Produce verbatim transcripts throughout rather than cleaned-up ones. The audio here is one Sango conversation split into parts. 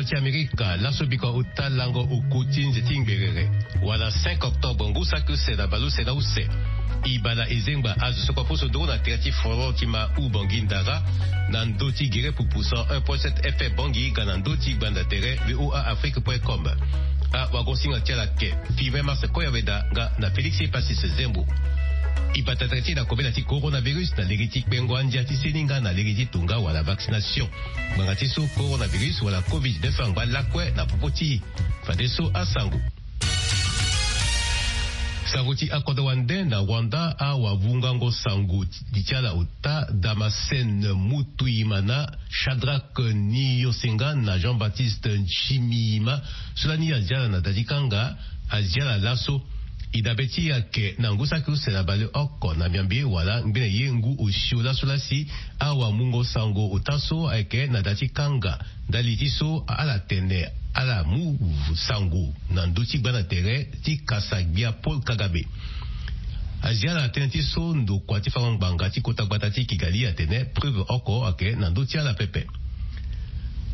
Ti Amerika laso bikua ota lango oko ti nze ti ngberere wala cinq octobre ngu saki use na baleuse na use. Ibala ezengba azo so kua poso nduru na tere ti foro ti ma u Bangi Ndara, na ndö ti gere pupu cent un point sept F M Bangi ga na ndö ti gbanda tere V O A Afrique point com. Awagosinga ti ala ke Firmin Mars Koyaweda nga na Félix Passis Zembo. Ibata tere ti e na kobela ti coronavirus na lege ti kpengo andia ti seni nga na lege ti tonga wala vaccination. Ngbanga ti so coronavirus wala covid dix-neuf angba lakue na popo ti e. Fadeso asango. Sango ti akodro wande na Rwanda, awavungango sango ti ti ala ota Damascène Mutuyimana, Shadrack Niyosenga na Jean-Baptiste Nshimiyima, so lani azi ala na da ti kanga, azi ala laso. E dabe ti e ayeke na ngu saki use na baleoko na miambe wala ngbene ye ngu osio laso lasi, awamungo sango ota so ayeke na da ti kanga. Ndali ti so ala tene ala mu sango na ndö ti gbanda tere ti kasa gbia Paul Kagame. Azi ala tënë ti so ndokua ti fango ngbanga ti kota gbata ti Kigali atene preuve oko ayeke na ndö ti ala pepe.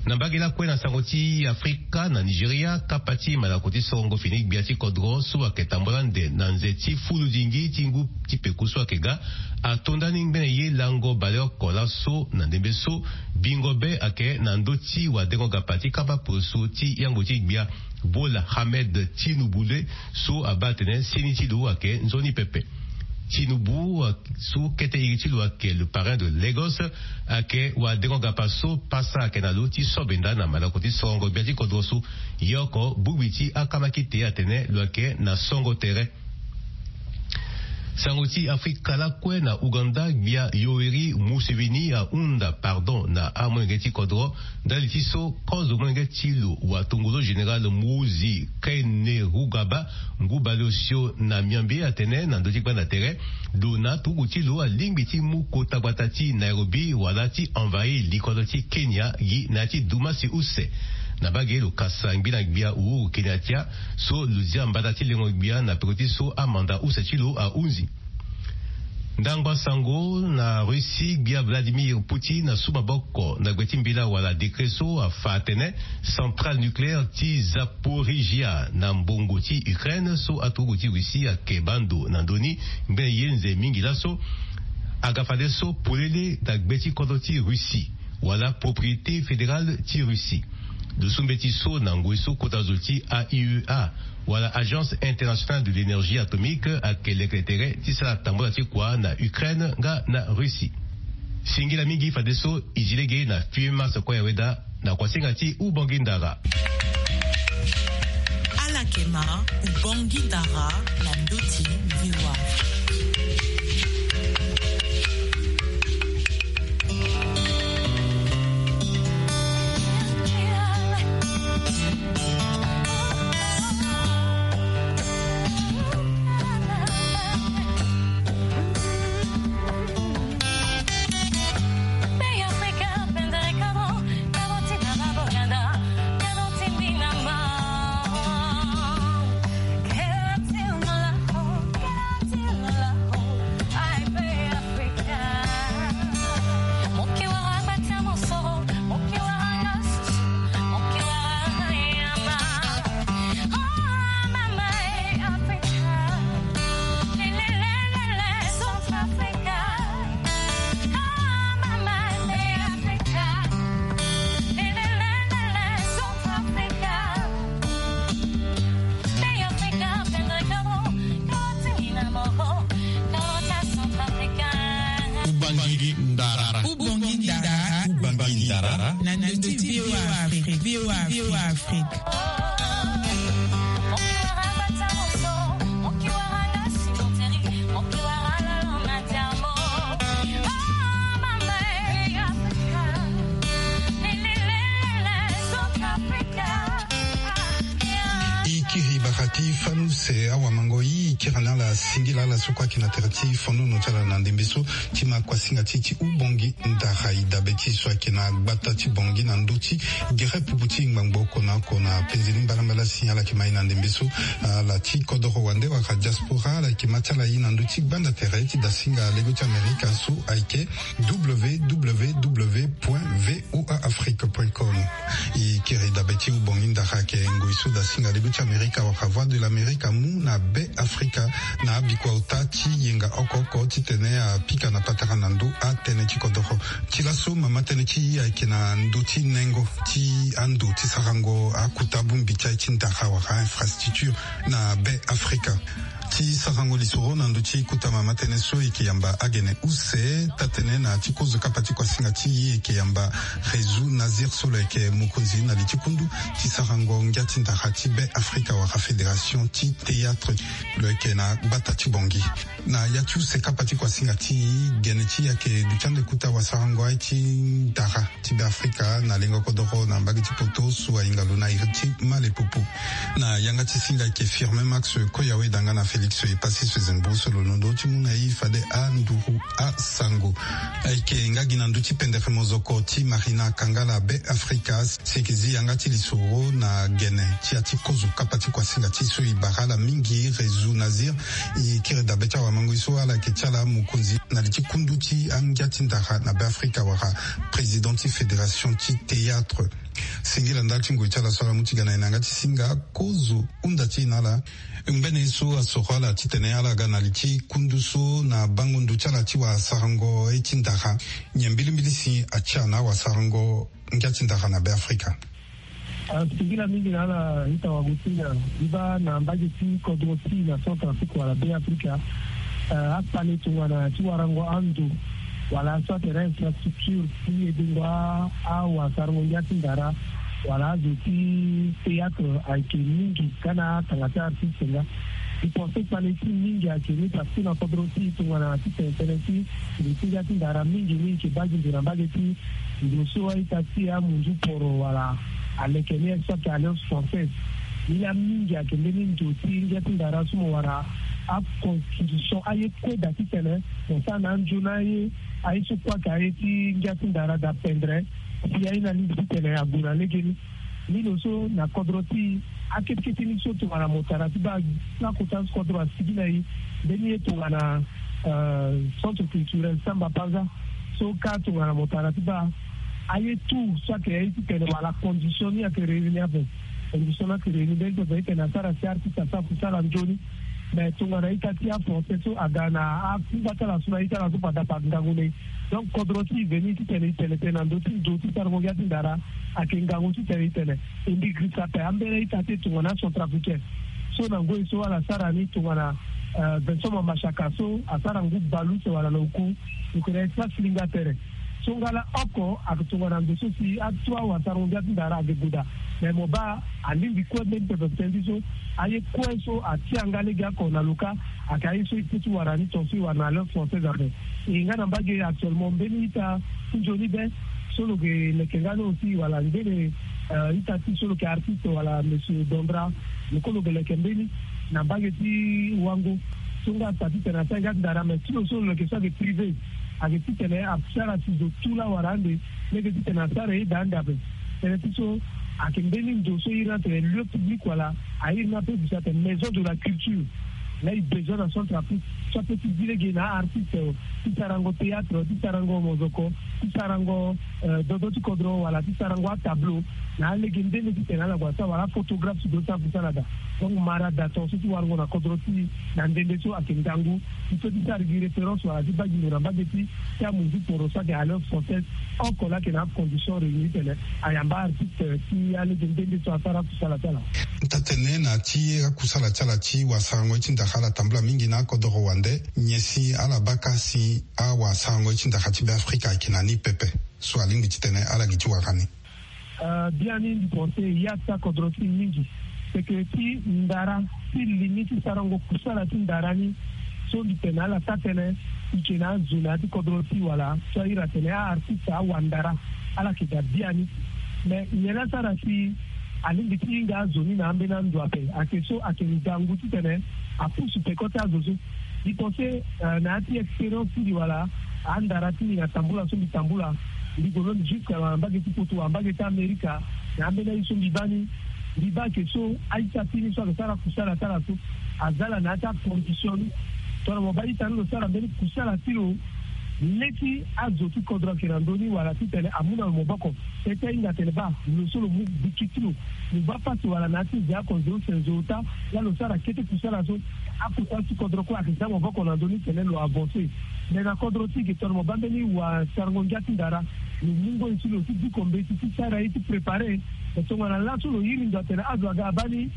Na mbage lakue na sango ti Afrika, na Nigeria, kapa ti malako ti sorongo fini gbia ti kodro so ayeke tambula ande na nze ti fulu dingi ti ngu ti peko so ayeke ga, ato ndani ngbene ye lango baleoko laso na ndembe so bingo be ayeke na ndö ti wadengo gapa ti kapa poroso ti yango ti gbia Bola Ahmed Tinubu le, so abaa atene seni ti lo ayeke nzoni pepe. Tinubu, so kete iri ti lo ayeke le parrain de Lagos, ayeke wadengo gapa so pasa ayeke na lo ti so benda na malako ti sorongo gbia ti kodro so. Ye oko bongbi ti akamakite atene lo ayeke na songo tere. Sango ti Afrika lakue na Ouganda, gbia Yoweri Museveni ahunda pardon na amolenge ti kodro ndali ti so kozo molenge ti lo watongolo général Muhoozi Kainerugaba, ngu baleosio na miambe atene na ndö ti gbanda tere, lo na aturugu ti lo alingbi ti mu kota gbata ti Nairobi wala ti envahir likolo ti Kenya gi na ya ti dumasi use. Na mbage lo kasa ngbi na gbia Uhuru Kenyatta, so lo zia mbata ti lengo gbia na peko ti so amanda use ti lo ahunzi. Ndangba sango na Russie, gbia Vladimir Poutine asu maboko na gbe ti mbela wala décret so afa atene centrale nucléaire ti Zaporizhia na mbongo ti Ukraine so aturugu ti Russie ayeke baa ndo na ndö ni ngbene ye nze mingi laso, aga fadeso polele na gbe ti kodro ti Russie wala propriété fédérale ti Russie. Dusu mbeti so na ngoi so kota zo ti A I E A wala Agence Internationale de l'Énergie Atomique ayeke lekere tere ti sara tambula ti kua na Ukraine nga na Russie. Singila mingi fadeso e zi lege na Firmin Mars Koyaweda na kuasinga ti Ubongi Ndara. Ala yeke ma Ubongi Ndara na ndö ti V O A. Use awamango i kiri na ala singila ala so kue ayeke na tere ti fonono ti ala na ndembe so ti ma kuasinga ti e ti Ubongi Ndara. E dabe ti e so ayeke na gbata ti Bongi na ndö ti gere pupu ti ngbangbo oko na oko na penze ni mbalambala si ala yeke ma e na ndembe so. Ala ti kodoro wande wala diaspora ala yeke ma ti ala e na ndö ti gbanda tere ti dasinga lego ti Amerika so ayeke www point voa afrique point com. E kiri dabe ti Ubongi Ndara ayeke ngoi so dasinga lego ti Amerika wala Voix de l'Amérique amu na Be Afrika na abikua ota ti yenga oko oko titene apika na patara na ndö atënë ti kodoro. Ti laso mama tënë ti e ayeke na ndö ti nengo ti ando ti sarango akuta bongbi ti aye ti ndara wala infrastructure na Be Afrika. Ti sarango lisoro na ndö ti kota mama tënë so e yeke yamba agene use taa-tënë na ti kozo kapa ti kuasinga ti e, e yeke yamba Rezu Nazir so lo yeke mokonzi na li ti kundu ti sarango ngia ti ndara ti Be Afrika wala fédération ti théâtre. Lo yeke na gbata ti Bongi. Na ya ti use kapa ti kuasinga ti e, gene ti e ayeke duti ande kota wasarango aye ti ndara ti Be Afrika na lengo kodoro na mbage ti poto so ahinga lo na iri ti malepopo. Na yanga ti singa ayeke Firmin Max Koyawe danga na Félix Epassis Fezembo so lo londo ti mu na e fade anduru asango. Ayeke nga gi na ndö ti pendere mozoko ti Marina Kangala Be Afrika si e yeke zi yanga ti lisoro na gene ti ya ti kozo kapa ti kuasinga ti e so e bara ala mingi Rezu Nazir. E kiri dabe ti awamango e so ala yeke ti ala mokonzi na li ti kundu ti angia ti ndara na Be Afrika wala président ti fédération ti théâtre. Singila ndali ti ngoi ti ala so ala mu ti ga na e na yanga ti singa kozo hunda ti e na ala. Ngbene ye so asoro ala titene ala ga na li ti kundu so na bango ndo ti ala ti wasarango ye ti ndara. Nyen mbilimbili si atia na wasarango ngia ti ndara na Be Afrika? Ah, singila mingi na ala ita wagosinga. Iba na mbage ti kodro ti na Centrafrique wala Be Afrika. Ah, akpale tongana ti warango ando wala soit tere infrastructure ti e dengo a, awasarango ngia ti ndara wala azo ti théâtre ayeke mingi ka na atanga ti artiste nga. E pense kpale ti mingi ayeke ni parce que na kodro ti tongana ti tene tënë ti ndo ti ngia ti ndara mingi ni e yeke baa gi ndo na mbage ti ndo so a-ita ti e amunzu poro wala aleke ni soit alliance française. Ni la mingi ayeke mbeni ndo ti ngia ti ndara so mo wara aconstitution aye kue daa titene mo sara na anzoni aye. Aye so kue ayeke aye ti ngia ti ndara daa pendre si aye ni alingbi titene ague na legeni. Ni lo so na kodro ti e akete kete ni so tongana mo tara ti baa lakota so kodro asigi na e mbeni ye tongana, euh, centre culturel Samba Panza. So ka tongana mo tara ti baa aye tout so ayeke aye titene wala condition ni ayeke réunir ape. Condition ni ayeke réunir mbeni pepe titene asara si artiste asara kusala nzoni. Mais tongana ita ti afrançais so aga na akungba ti ala so na ita ala so fade afa ngangu na e. Donc kodro ti e veni titene e tene tënë na ndö ti ndo ti sarango ngia ti ndara ayeke ngangu titene e tene e mbi girisa ape ambeni ita ti e tongana acentrafricain so na ngoi so ala sara ni tongana, euh, Vincent Mamashaka so asara ngu bale use wala na oku. Lo yeke na espace linga tere. So nga laoko ayeke tongana ndo so si ato awasarango ngia ti ndara ayeke gue daa. Mais mo baa alingbi kue mbeni pepe tënë ti so aye kue so atia nga lege oko na lo ka. Ayeke aye so e peut ti wara ni tongaso e wara na alliance française ape. E nga na mbage actuellement mbeni ita ti nzoni be so lo yeke leke nga ni aussi wala ngbene, euh, ita ti so lo yeke artiste wala monsieur Dondra. Lo kue lo yeke leke mbeni na mbage ti Wango. So nga asa titene asara ngia ti ndara mais ti lo so lo yeke so ayeke privé. Ayeke titene asara si zo tu laa wara ande lege titene asara ye daa ande ape. Tënë ti so ayeke mbeni ndo so e iri ni atene lieu public wala a iri ni ape gue so atene maison de la culture. Laa e bezoin na Centrafrique so ape ti zi lege na aartiste ti sarango théâtre ti sarango mozoko ti sarango, euh, dodo ti kodro wala ti sarango atableau na alege nde nde titene ala gue asara wala aphotographe si do ti akusala daa. Donc mara daa tongaso ti warango na kodro ti e na nde nde so ayeke ngangu. Ti so ti sara gi référence wala ti baa gi ndo na mbage ti ti amunzu poro so ayeke alliance française. Oko laa ayeke na acondition réunir titene ayamba aartiste ti alege nde nde so asara akusala ti ala. Taa-tënë na ti akusala ti ala ti wasarango ye ti ndara ala tambula mingi na akodoro wande. Nyen si ala baa ka si awasarango ye ti ndara ti Be Afrika ayeke na ni pepe so alingbi titene ala gi ti wara ni? Euh, biani mbi pense e ya ti akodro ti e mingi. Seke ti ndara ti li ni ti sarango kusala ti ndara ni so mbi tene na ala taa-tënë. E yeke na azo na ya ti kodro ti e wala so a iri atene aartiste awandara ala yeke daa biani. Mais nyen laa asara si alingbi ti hinga azo ni na ambeni ando ape. Ayeke so ayeke ngangu titene apusu peko ti azo so. Mbi pense na ya ti expérience ti mbi wala andara ti mbi na tambula so mbi tambula, mbi gue lo mbi jusque na mbage ti poto wala mbage ti Amerika. Na ambeni aye so mbi baa ni, mbi baa ayeke so aita ti ni so ayeke sara kusala ti ala so aza ala na ya ti acondition ni. Tongana mo baa ita ni lo sara mbeni kusala ti lo, leti azo ti kodro ayeke na ndö ni wala titene amu na lo maboko. Peut ti ahinga atene baa lo so lo mu biki ti lo, lo baa pasi wala na ya ti nze oko nze use nze ota. Laa lo sara kete kusala so, akota ti kodro kue ayeke za maboko na ndö ni tene lo avance. Me na kodro ti e ge tongana mo baa mbeni wasarango ngia ti ndara, lo mu ngoi ti lo ti diko mbeti ti sara ye ti prépare. Me tongana laso lo iri ndo atene azo aga abaa ni,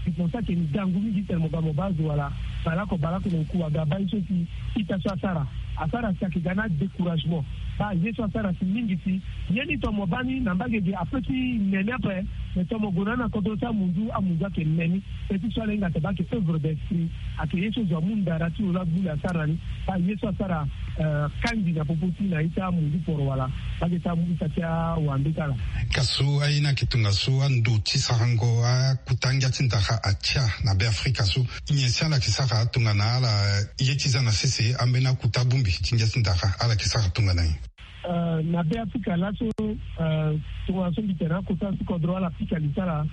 mbi pense ayeke ngangu mingi titene mo ga mo baa azo wala baleoko baleoko na ngu aga abaa ye so si ita so asara. Asara si ayeke ga na découragement. Baa ye so asara si mingi si ye ni tongana mo baa ni na mbage ge ape ti ne ni ape. Me tongana mo gue na ni na kodro ti amunzu, amunzu ayeke ne ni. Pe ti so ala hinga atene baa ayeke œuvre d'esprit. Ayeke ye so zo amu ndara ti lo laa gbu le asara na ni. Baa ye so asara, eh, kangi na popo ti na ita amunzu poro wala baa ge ti amu ita ti awande ti ala. Ka so aye ni ayeke tongaso ando ti sarango akota ngia ti ndara atia na Be Afrika so. Nyen si ala yeke sara tongana ala ye ti za na sese ambeni akota bongbi ti ngia ti ndara ala yeke sara tongana nyen? Eh, na Be Afrika laso, eh, tongana so mbi tene akota ti kodro ala pika li ti ala,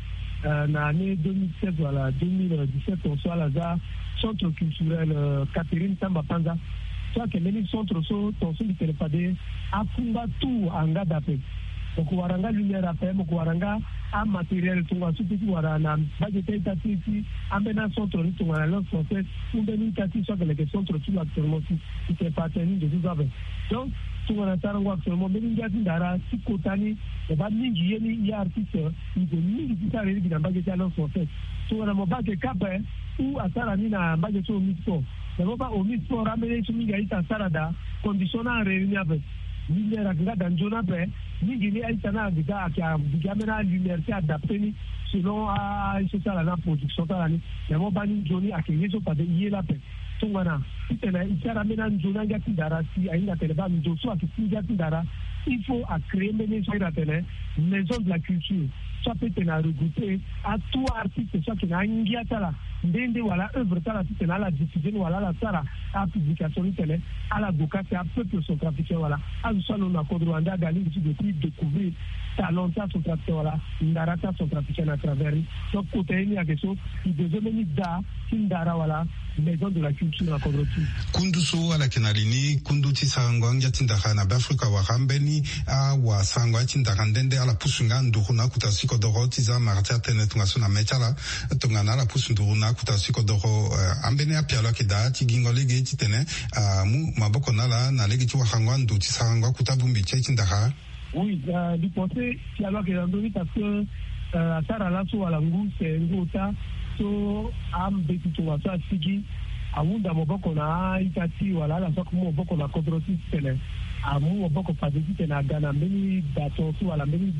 eh, na année deux mille seize wala deux mille dix-sept, tongaso ala za centre culturel, eh, Catherine Samba Panza. So ayeke mbeni centre so tongaso mbi tene fade akungba tout anga daa ape. Mo ko wara nga lumière ape, mo ko wara nga amatériel tongana so ti wara na mbage ti a-ita ti e ti ambeni acentre ni tongana Alliance Française, ou mbeni ita ti e so ayeke leke centre ti lo actuellement si e tene fa atene ni ndo so so ape. Donc tongana sarango actuellement mbeni ngia ti ndara ti kota ni, mo baa mingi ye ni, ye artiste, e gue mingi ti sara ye lege na mbage ti Alliance Française. Tongana mo baa ayeke kâ ape, ou asara ni na mbage ti Omi Sport. Na mo baa Omi Sport ambeni ye so mingi a-ita asara daa, condition ni arere ni ape. Lumière ayeke nga daa nzoni ape. Mingi ni a-ita ni ayeke daa ayeke gigi ambeni alumière ti adapté ni selon a-, aye so ti ala ni, aproduction ti ala ni. Na mo baa ni nzoni ayeke ye so fade ye laa ape. Tongana titene e sara ambeni anzoni angia ti ndara si ahinga atene baa ndo so ayeke ti ngia ti ndara, il faut acréer mbeni ye so ahinga atene maison de la culture. So apeut tene aregrouper atout artiste so ayeke na angia ti ala nde nde wala œuvre ti ala titene ala diffuser ni wala ala sara apublication ni tene ala gue kâ si apeuple centrafricain wala azo so alondo na kodro wande aga alingbi ti gue ti découvrir talent ti acentrafricain wala ndara ti acentrafricain na travers ni. Donc kota ye ni ayeke so e besoin mbeni daa ti ndara wala maison de la culture na kodro ti e. Kundu so ala yeke na li ni kundu ti sarango angia ti ndara na Be Afrika wala ambeni awasarango angia ti ndara nde nde ala pusu nga nduru na akota ti kodoro ti za mara ti atene tongaso na me ti ala. Tongana ala pusu nduru na akota ti kodoro, eh, ambeni apialo ayeke daa ti gingo lege titene amu maboko na ala na lege ti warango ando ti sarango akota bongbi ti aye ti ndara. Oui, euh, mbi pense pialo ayeke na ndö ni parce que, euh, asara laso wala ngu use ngu ota so ambeti tongaso asigi ahunda maboko na a-ita ti e wala ala so ayeke mu maboko na kodro ti e titene amu maboko fade titene aga na mbeni da tongaso wala mbeni,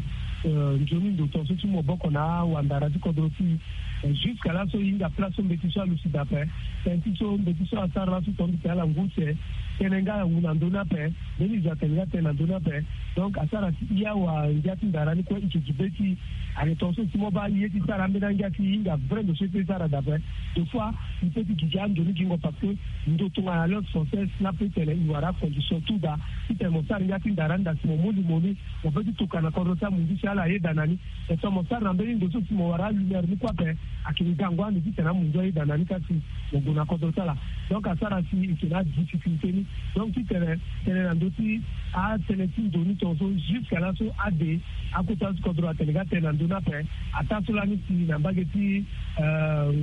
euh, nzoni ndo tongaso ti mu maboko na awandara ti kodro ti e. Jusqu'à laso e hinga place so mbeti so alusu daa ape. Tënë ti so mbeti so asara laso tongaso titene ala ngu use tënë nga awu na ndö ni ape. Mbeni zo atene nga tënë na ndö ni ape. Donc asara si e awa ngia ti ndara ni kue e yeke gi be ti e. Ayeke tongaso si mo baa e ye ti sara ambeni angia ti e hinga vrai ndo so e peut ti sara daa ape. Des fois e peut ti gigi ando ni gingo parce que ndo tongana Alliance Française ni apeut tene e wara acondition tout daa titene mo sara ngia ti ndara ni daa si mo mu limo ni, mo peut ti tokua na kodro ti amunzu si ala yeda na ni. E so mo sara na mbeni ndo so si mo wara alumière ni kue ape, ayeke ngangu ande titene amunzu ayeda na ni kasi mo gue na kodro ti ala. Donc asara si e yeke na adifficulté ni. Donc titene tënë na ndö ti atënë ti ndo ni tongaso jusqu'à laso ade akota ti kodro atene nga tënë na ndö ni ape. Ataa so lani si na mbage ti, euh,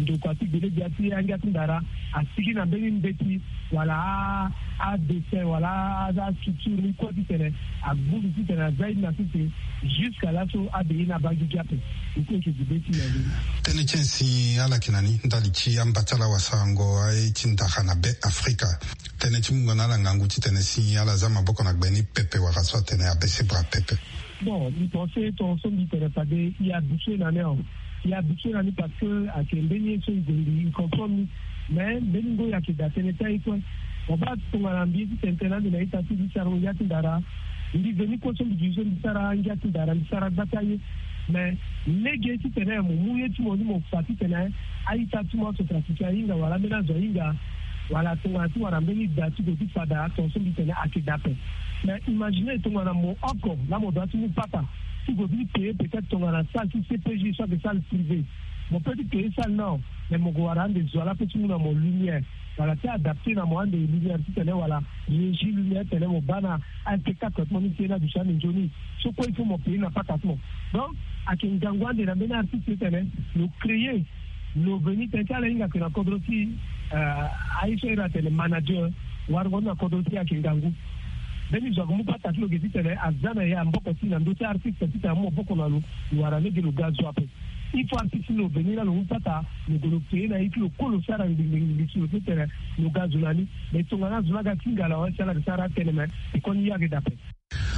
ndokua ti gbele gbia ti angia ti ndara asigi na mbeni mbeti wala a, adessin wala a, asculpture ni kue titene agbu ni titene aza ye ni na sese. Jusqu'à laso ade ye ni abaa gigi ape. E kue e yeke gi be ti e na ndö ni. Tënë ti nyen si ala yeke na ni ndali ti amba ti ala wasarango aye ti ndara na Be Afrika? Tënë ti mungo na ala ngangu titene si ala za maboko na gbe ni pepe wala so atene abese bra pepe. Bon, mbi pense tongaso mbi tene fade e habitué na ni awe. E habitué na ni parce que ayeke mbeni ye so e gue mbi e comprendre ni. Mais mbeni ngoi ayeke daa tënë ti aye kue. Mo baa tongana mbi ye ti tene tënë ande na ita ti mbi ti sarango ngia ti ndara. Mbi veni kue so mbi gi so mbi sara ngia ti ndara mbi sara gba ti aye. Mais lege titene mo mu ye ti mo ni mo fa titene a-ita ti mo aso trafiqué ahinga wala ambeni azo ahinga, wala tongana ti wara mbeni da ti gue ti fada tongaso mbi tene ayeke daa ape. Mais imagine tongana mo oko laa mo doit ti mu pata ti gue ti payer peut-être tongana salle ti C P J so ayeke salle privée. Mo peut ti payer salle nao, mais mo gue wara ande zo ala pe ti mu na mo lumière, wala ti adapté na mo ande lumière titene wala régie lumière titene mo baa na A S T quatre ti mo ni ti ye ni aduti ande nzoni. So kue il faut mo payer na pata ti mo. Donc ayeke ngangu ande na mbeni artiste titene lo créer, lo veni tene ti ala hinga ayeke na kodro ti, euh, aye so iri atene manager, warango ni na kodro ti e ayeke ngangu. Mbeni zo ayeke mu pata ti lo ge titene aza na e amaboko ti e na ndö ti artiste titene amu maboko na lo, lo wara lege lo ga zo ape. Il faut artiste ni lo veni laa lo mu pata, lo gue lo payer na ye ti lo kue lo sara ngbingbingbi si lo titene lo ga zo na ni. Mais tongana azo ni aga ti ngala wala si ala ga sara atene, mais e koni ye ayeke daa ape.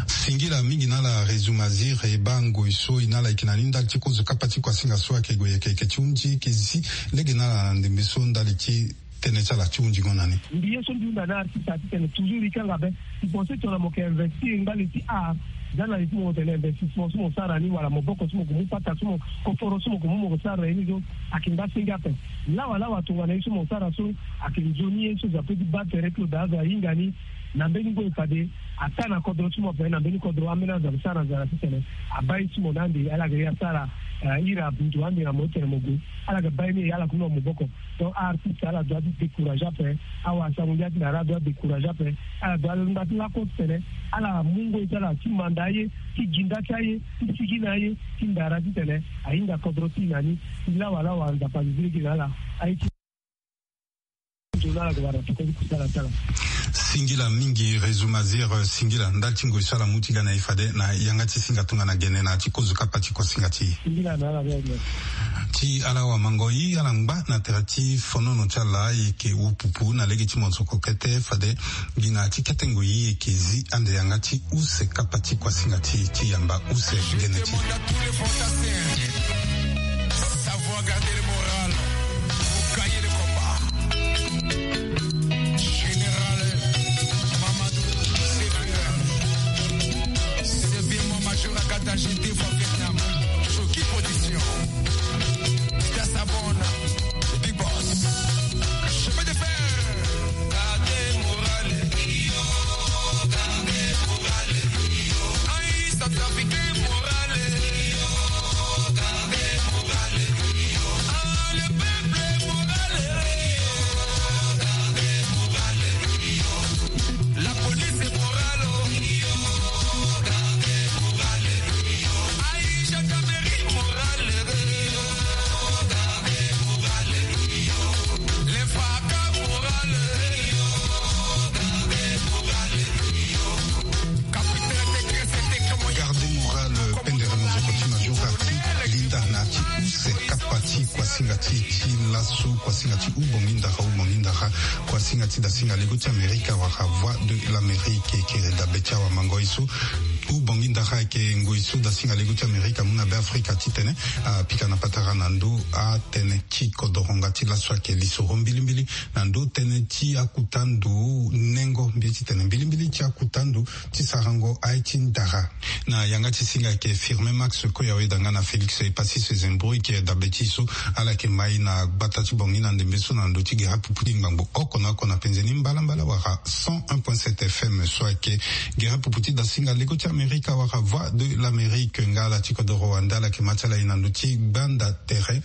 Singila mingi na ala Réseau Mazir, e baa ngoi so e na ala e yeke na ni ndali ti kozo kapa ti kuasinga so ayeke gue yeke yeke ti hundi e yeke zi lege na ala na ndembe so ndali ti tënë ti ala ti hunzingo na ni. Mbi ye so mbi hunda na artiste ati tene toujours e kanga be. Mbi pense tongana mo yeke investir ngbani ti art, za na li ti mo tene investissement so mo sara ni wala maboko so mo gue mu pata so mo koforo so mo gue mu mo gue sara na ye ni so ayeke ngbasenge ape. Lawalawa tongana ye so mo sara so ayeke nzoni ye so zo ape ti baa tere ti lo daa azo ahinga ni. Na mbeni ngoi fade ataa na kodro ti mo ape na mbeni kodro ambeni azo ayeke sara nzara titene abaa ye ti mo na ande ala yeke ye asara, eh, iri andu ande na mo titene mo gue. Ala yeke baa ye ni e ala kue na maboko. Donc artiste ala doit ti décourager ape. Awasango ndia ti na ala doit décourager ape. Ala doit ngba ti lako titene ala mu ngoi ti ala ti manda aye, ti ginda ti aye, ti sigi na aye ti ndara titene ahinga kodro ti e na ni. Ti lawalawa Nzapa azi lege na ala. Aye ti Singila mingi Réseau Mazir, singila ndali ti ngoi so ala mu ti ga na e fade na yanga ti singa tongana gene na ya ti kozo kapa ti kuasinga ti e. Ti ala wamangoi ala ngba na tere ti fonono ti ala e yeke wu pupu na lege ti mosoko kete fade gi na ya ti kete ngoi e yeke zi ande yanga ti use kapa ti kuasinga ti e ti yamba use gene ti e. Savoir garder le moral pour gagner le combat. Général Mamadou Sekou, c'est bien mon major à Kata, j'étais au Vietnam. Choki Production. Peter Sabon, Big Boss. Chemin de fer. Garder moral. Garder moral. Aïe, centrafricain moral. Garder moral. Ah, le peuple moral. Garder moral. La police est morale. Garder moral. Aïe, gendarmerie morale. Garder moral. Les fracas moral. Garder moral. Garde moral, pendere mozoko ti major ati linda na ti use kapa ti kuasinga ti e ti laso, kuasinga ti ubongi ndara, ubongi ndara, kuasinga ti dasinga lego ti Amerika wala Voix de l'Amérique, e kere dabe ti awamangoi so. Ubongi ndara ayeke ngoi so dasinga lego ti Amerika amu na Beafrika titene apika na patara na ndö atënë ti kodoro nga ti laso ayeke lisoro mbilimbili na ndö tënë ti akuta ndo nengo, mbi ye titene mbilimbili ti akuta ndo ti sarango aye ti ndara. Na yanga ti singa ayeke Firmin Max Koyawe danga na Félix Epassis Zembro e kiri dabe ti e so ala yeke mai na gbata ti Bangui na ndembe so na ndö ti gere apupu ti ngbangbo oko na oko na penze ni mbalambala wala cent un point sept F M so ayeke gere apupu ti dasinga lego ti Amerika wala Voix de l'Amérique. Nga ala ti kodoro wande ala yeke ma ti ala e na ndö ti gbanda tere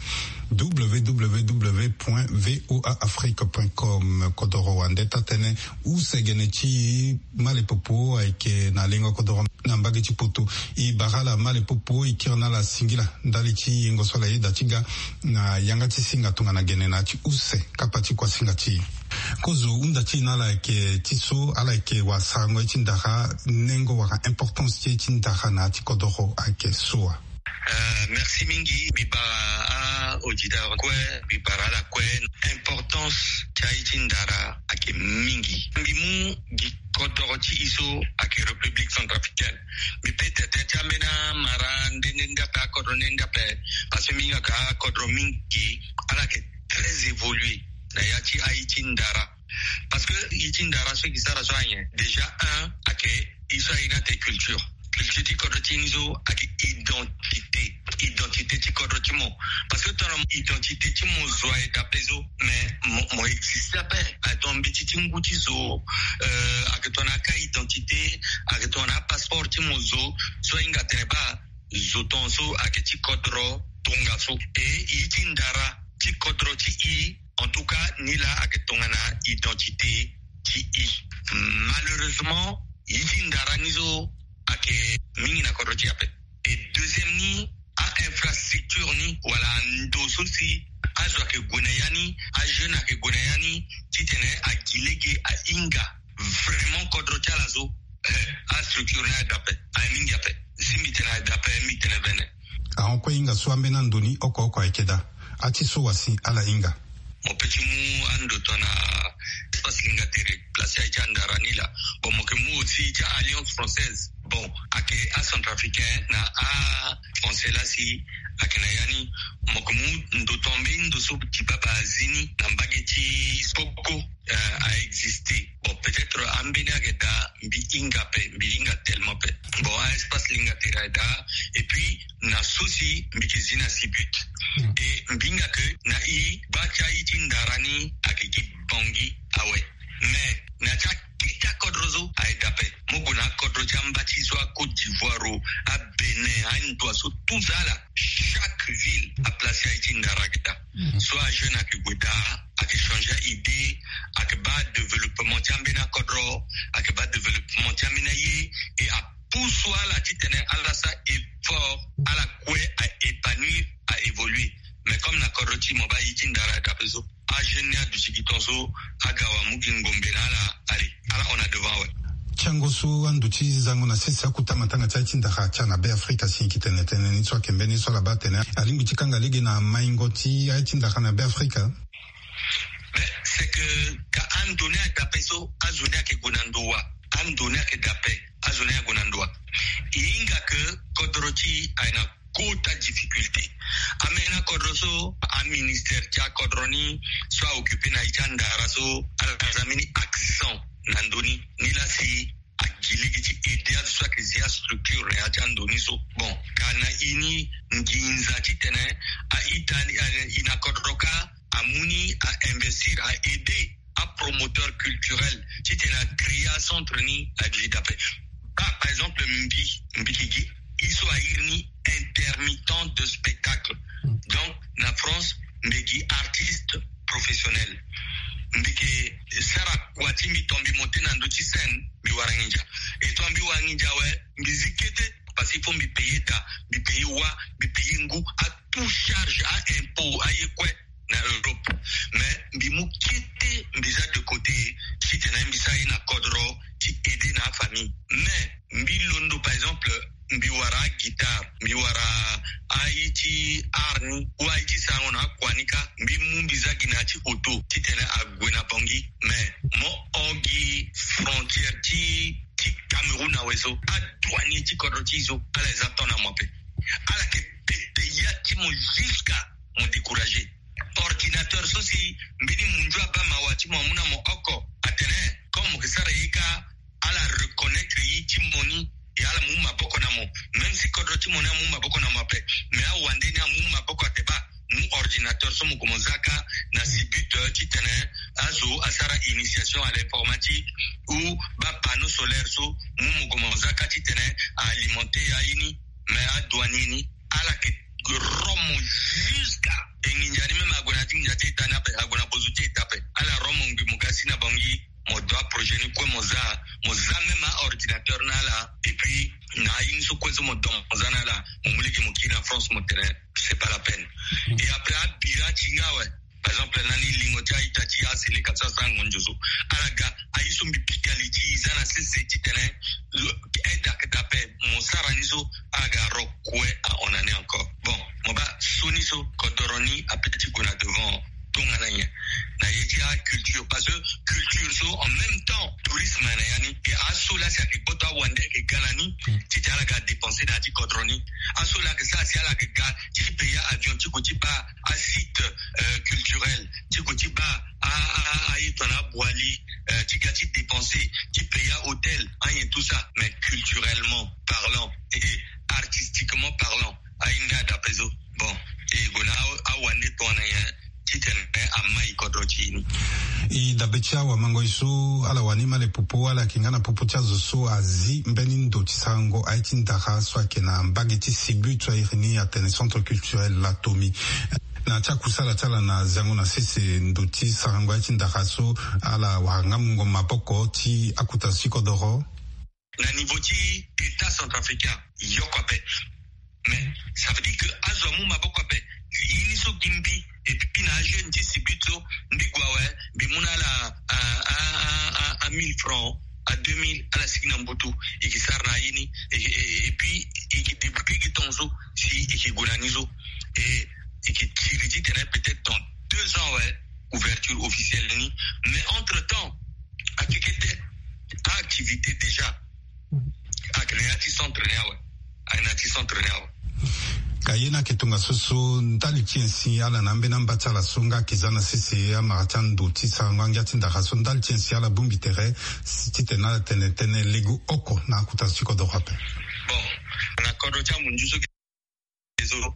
W W W point V O A Afrique point com. Kodoro wande taa-tënë, use gene ti e, malepopo ayeke na lengo kodoro na mbage ti poto. E bara ala malepopo, e kiri na ala singila ndali ti yengo so ala yeda ti ga na yanga ti singa tongana gene na ya ti use kapa ti kuasinga ti e. Kozo hunda ti e na ala ayeke ti so ala yeke wasarango ye ti ndara, nengo wala importance ti ye ti ndara na ya ti kodoro ayeke so wa? Euh, merci mingi. Mbi bara a-auditeur kue, mbi bara ala kue. Importance ti aye ti ndara ayeke mingi. Mbi mu gi kodoro ti e so ayeke République centrafricaine. Mbi peut tene ti ambeni amara nde nde nde ape, akodro nde nde ape. Parce que mbi hinga ka akodro mingi ala yeke très évolué na ya ti aye ti ndara. Parce que ye ti ndara so e ke sara so anyen, déjà un ayeke e so aye ni ate culture. Culture ti kodro ti ni so ayeke identité. Identité ti kodro ti mo. Parce que tongana identité ti mo zo aye dape so, mais mo, mo existe ape. Ayeke tongana mbeti ti ngu ti zo, euh, ayeke tongana aka identité, ayeke tongana apasseport ti mo zo. So ahinga atene baa zo tongaso ayeke ti kodro tongaso. E i ti ndara ti kodro ti i, en tout cas ni laa ayeke tongana identité ti i. Malheureusement, i ti ndara ni so ayeke mingi na kodro ti i ape. E deuxième ni, a-infrastructure ni wala ando so si azo ayeke gue na ya ni, ajeune ayeke gue na ya ni, titene agi lege ahinga vraiment kodro ti ala so. Eh, astructure ni aye dape, aye mingi ape. Si mbi tene aye dape, mbi tene vene. Ahon kue hinga so ambeni ando ni oko oko ayeke daa. Ati so wa si ala hinga. Mo pe ti mu ando tongana espace linga tere, place aye ti andara ni laa. Bon, mo yeke mu aussi ti Alliance Française. Bon, ayeke acentrafricain na a français laa si ayeke na ya ni. Mo yeke mu ndo tongana mbeni ndo so ti baba azi ni na mbage ti Boko, euh, a existe. Bon, peut-être ambeni ayeke daa, mbi hinga ape, mbi hinga tellement ape. Bon, a-espace linga tere aye daa. Et puis na so si mbi yeke zi na Sibut. E mbi hinga ke na i, gba ti aye ti ndara ni ayeke gi Bangui awe. Mais na ti akete akodro so aye dape. Mo gue na akodro ti amba ti so, a-Côte d'Ivoire o, a-Bénin, a-Indoa so, tout ça là, chaque ville aplace aye ti ndara ayeke daa. So ajeune ayeke gue daa, ayeke changer aidée, ayeke baa développement ti ambeni akodro, ayeke baa développement ti ambeni aye. E a pousse ala titene ala sara effort, ala kue a-épanouir, a-évoluer. Mais comme na kodro ti mo baa aye ti ndara aye dape so, ajeune ni aduti gi tongaso, aga awa mu gi ngombe na ala. Allez, ala hon na devant awe. Ti ango so ando ti zango na sese akuta matanga ti aye ti ndara atia na Be Afrika si e yeke tene tënë ni so ayeke mbeni so ala baa atene alingbi ti kanga lege na maingo ti aye ti ndara na Be Afrika. Mais c'est que ka ando ni ayeke dape so, azo ni ayeke gue na ndo wa. Ando ni ayeke dape, azo ni ayeke gue na ndo wa. E hinga ke kodro ti e aye na kota difficulté. Ambeni akodro so, aministère ti akodro ni so a-occuper na aye ti andara so, ala za mbeni accent na ndo ni. Ni laa si agi lege ti aider azo so ayeke zi astructure na ya ti ando ni so. Bon, ka na i ni nginza titene a-ita ni, a-, i na kodro kâ amu ni a-investir, a-aider apromoteur culturel titene a-créer acentre ni agi dape. Baa, par exemple, mbi, mbi yeke gi i so a iri ni intermittent de spectacle. Donc na France mbi yeke gi artiste professionnel. Mbi yeke sara kua ti mbi, tongana mbi monter na ndö ti scène, mbi wara nginza. E tongana mbi wara nginza awe, mbi zi kete, parce qu'il faut mbi payer da, mbi payer wa, mbi payer ngu, a-tout charge, a-impôt, aye kue na Europe. Mais mbi mu kete mbi za de côté, titene mbi sara ye na kodro ti aider na afamille. Mais mbi londo, par exemple, mbi wara aguitare, mbi wara aye ti art ni, ou aye ti sarango na akua ni kâ, mbi mu mbi za gi na ya ti auto titene ague na Bangui. Mais mo hon gi frontière ti, ti Cameroun awe so, adouanier ti kodro ti e so, ala ye za temps na mo ape. Ala yeke pete ya ti mo jusqu'à mo décourager. Ordinateur so si mbeni munzu abaa mawa ti mo amu na mo oko, atene comme mo yeke sara ye kâ, ala reconnaître ye ti mo ni, e ala mu maboko na mo. Même si kodro ti mo ni amu maboko na mo ape, mais awande ni amu maboko ate baa mu ordinateur so mo gue mo za kâ na Sibut, euh, titene azo asara initiation à l'informatique, ou baa panneau solaire so, mu mo gue mo za kâ titene a-alimenter aye ni. Mais adouanier ni, ala yeke ro mo jusqu'à, e nginza ni même ague na ya ti nginza ti eta ni ape, ague na bozo ti eta ape. Ala ro mo ngbi mo ga si na Bangui, mo do aprojet ni kue mo za, mo za même a-ordinateur na ala. Et puis na aye ni so kue so mo do mo za na ala, mo mu lege mo kiri na France, mo tene c'est pas la peine. Et après abira ti nga awe. Par exemple, na ni lingo ti a-ita ti aseleka so asara ngonzo so, ala ga aye so mbi pika li ti e za na sese titene aide ayeke dape, mo sara ni so, ala ga ro kue ahon na ni encore. Bon, mo baa so ni so, kodoro ni apeut ti gue na devant tongana nyen na ye ti aculture, parce que culture so en même temps tourisme na ya ni. E aso laa si ayeke gboto awande ayeke ga na ni, titene ala ga dépenser na ya ti kodro ni. Aso laa ayeke sara si ala yeke ga ti payer avion ti gue ti baa asite, euh, culturel, ti gue ti baa a, a, a, aye tongana abwali, euh, ti ga ti dépenser, ti payer ahôtel, ayen tout ça. Mais culturellement parlant et artistiquement parlant, aye ni adape so. Bon, e gue na a, awande tongana nyen titene ama e kodro ti e ni. E dabe ti awamangoi so ala wani ma le popo, ala yeke nga na popo ti azo so azi mbeni ndo ti sarango aye ti ndara so ayeke na mbage ti Sibut so a iri ni atene Centre Culturel Latomi. Na ti akusala ti ala na zango na sese ndo ti sarango aye ti ndara so, ala wara nga mungo maboko ti akota ti kodoro. Na niveau ti État centrafricain, yoko ape. Mais ça veut dire que azo amu maboko ape. Ye ni so gi mbi, et puis na ajeune ti Sibut so, mbi gue awe, mbi mu na ala a, a, a, a, a mille francs, a deux mille, ala sigi na mbutu, e ke sara na ye ni, et, et, et puis e ke débrouiller gi temps so si e ke gue na ni so. Et e ke tiri titene peut-être dans deux ans, ouais, ouverture officielle ni. Mais entre-temps, akekete activité déjà. Ayeke na ya ti centre ni awe. Ayeke na ya ti centre ni awe. Ka ye ni ayeke tongaso so ndali ti nyen si ala na ambeni amba ti ala so nga ayeke za na sese amara ti ando ti sarango angia ti ndara so, ndali ti nyen si ala bongbi tere si titene ala tene tënë lege oko na akota ti kodoro ape? Bon, na kodro ti amunzu so, so,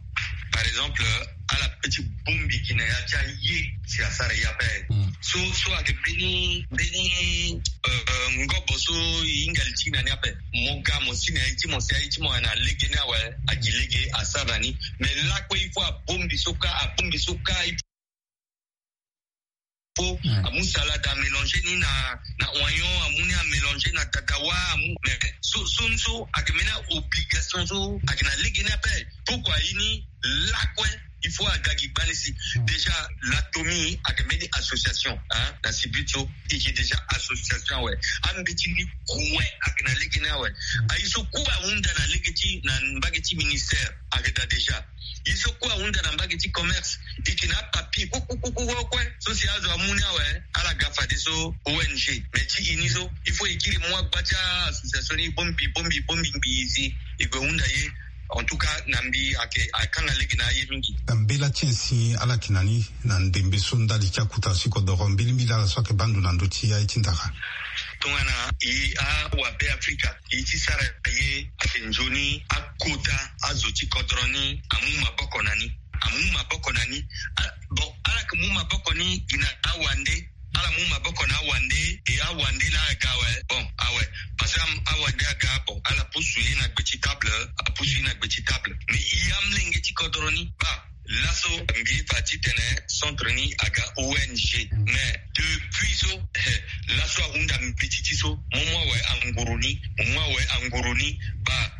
par exemple, ala pe ti bongbi gi na ya ti aye si asara e ape. Mm. So, so ayeke mbeni, mbeni, euh, ngobo so e hinga li ti e na ni ape. Mo ga mo si na ya ti mo, si aye ti mo ayeke na lege ni awe, agi lege asara na ni. Mais lakue il faut abongbi so kâ, abongbi so kâ, il faut, mm, amu salade amélanger ni na, na oignon, amu ni amélanger na tatawa, amu, mais so, so, so ayeke mbeni obligation so ayeke na lege ni ape. Pourquoi? Ye ni lakue il faut aga gi gbani si. Mm. Déjà, Latomi ayeke mbeni association, hein, na Sibut so, e yeke déjà association awe. Ambeti ni kue ayeke na lege ni awe. Mm. Aye so kue ahunda na lege ti, na mbage ti ministère ayeke daa déjà. Ye so kue ahunda na mbage ti commerce, e yeke na apapier kue, kue, kue, kue, kue so si azo amu ni awe, ala ga fadeso O N G. Mais ti e ni so, il faut e kiri mu agba ti a-association ni bongbi, bongbi, bongbi, bongbi si e gue hunda ye. En tout cas, na mbi ayeke, akanga lege na aye mingi. Mbela ti nyen si ala yeke na ni na ndembe so ndali ti akota ti kodoro, mbilimbili ala so ayeke baa ndo na ndö ti aye ti ndara? Tongana e awabe Afrika, e ti sara ye ayeke nzoni akota azo ti kodro ni amu maboko na ni. Amu maboko na ni. A, bon, ala yeke mu maboko ni gi na awande. Ala mu maboko na awande, e awande laa aga awe. Bon, awe. Parce que am-, awande aga, bon, ala pusu ye na gbe ti table, apusu ye na gbe ti table. Mais e amolenge ti kodro ni, baa, laso mbi fa titene centre ni aga O N G. Mais depuis so, eh, laso ahunda mbeti ti so, mo mu awe anguru ni, mo mu awe anguru ni, baa,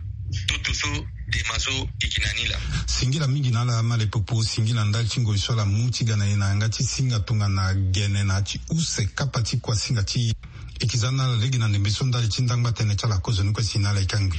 toto so, dema so, e yeke na ni laa. Singila mingi na ala ma le popo, singila ndali ti ngoi so ala mu ti ga na e na yanga ti singa tongana gene na ya ti use kapa ti kuasinga ti e. E yeke za na ala lege na ndembe so ndali ti ndangba tënë ti ala kozoni kue si na ala e kangbi.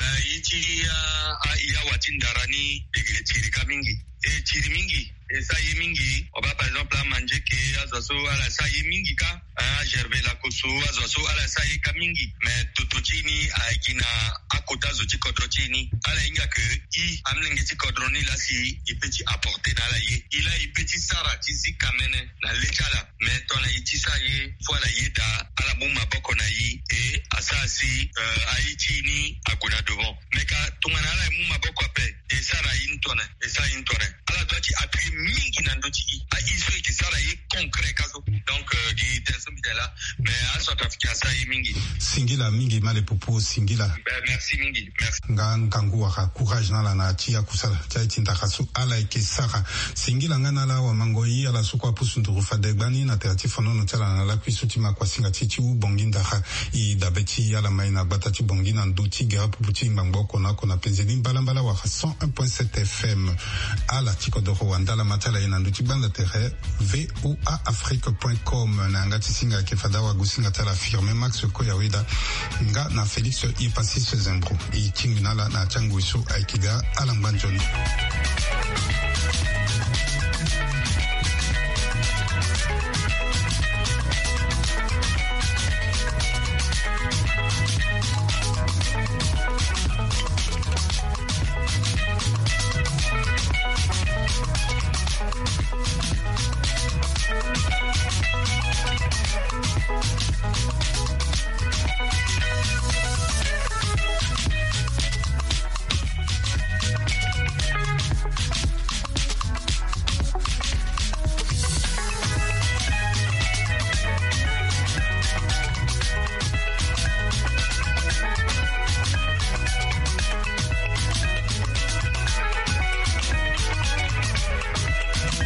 Eh, ye ti, ah, ah, e awa ti ndara ni, e yeke tiri kâ mingi. E tiri mingi, e sara ye mingi. O baa par exemple amanzeke, azo so ala sara ye mingi kâ. Ah, Gervais Lakosso, azo so ala sara ye kâ mingi. Mais toto ti e ni ayeke gi na akota zo ti kodro ti e ni. Ala hinga ke e amolenge ti kodro ni laa si e peut ti apporter na ala ye. E laa e peut ti sara ti zi kamene na le ti ala. Mais tongana e ti sara ye, faut ala yeda, ala mu maboko na e, e asara si, euh, aye ti e ni ague na devant. Mais ka tongana ala mu maboko ape, e sara ye ni tongana, e sara ye ni tongana. Ala doit ti appuyer mingi na ndö ti e. Aye so e yeke sara ye concret kâ so. Donc, euh, gi tënë so mbi tene laa, mais aCentrafricain asara ye mingi. Singila mingi ma le popo, singila. Ben, merci mingi. Merci. Nga ngangu wala courage na ala na ya ti akusala ti aye ti ndara so ala yeke sara. Singila nga na ala wamangoi, ala so kue apusu nduru fade gbani na tere ti fonono ti ala na lakui so ti ma kuasinga ti e ti wu Bangui ndara. E dabe ti ala ma e na gbata ti Bangui na ndö ti gere pupu ti ngbangbo oko na oko na penze ni mbalambala wala cent un point sept F M. Ala ti kodoro wandala ma ti ala ye na ndö ti gbanda tere V O A Afrique point com. Na yanga ti singa ayeke fade awagosinga ti ala Firmin Max Koyaweda nga na Félix Ipassis Zembro. E tingbi na ala na ya ti angoi so ayeke ga. Ala ngba nzoni.